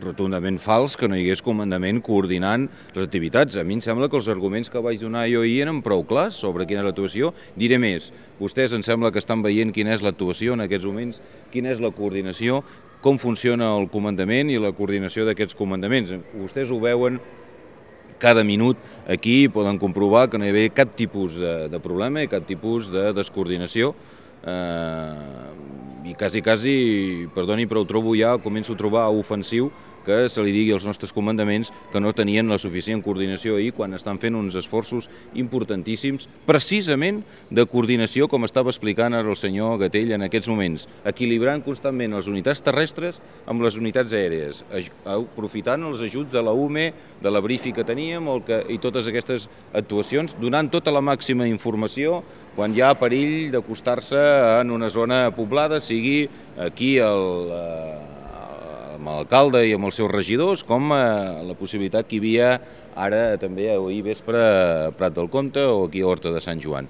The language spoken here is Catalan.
rotundament fals que no hi hagués comandament coordinant les activitats. A mi em sembla que els arguments que vaig donar jo ahir eren prou clars sobre quina és l'actuació. Diré més, vostès em sembla que estan veient quina és l'actuació en aquests moments, quina és la coordinació, com funciona el comandament i la coordinació d'aquests comandaments. Vostès ho veuen cada minut aquí, poden comprovar que no hi havia cap tipus de problema i cap tipus de descoordinació. I quasi, perdoni, però ho trobo ja, començo a trobar ofensiu que se li digui als nostres comandaments que no tenien la suficient coordinació ahir quan estan fent uns esforços importantíssims, precisament de coordinació, com estava explicant ara el senyor Gatell en aquests moments, equilibrant constantment les unitats terrestres amb les unitats aèries, aprofitant els ajuts de la UME, de la Brifi que teníem i totes aquestes actuacions, donant tota la màxima informació quan hi ha perill d'acostar-se en una zona poblada, sigui aquí amb l'alcalde i amb els seus regidors, com la possibilitat que hi havia ara també ahir vespre a Prat del Comte o aquí a Horta de Sant Joan.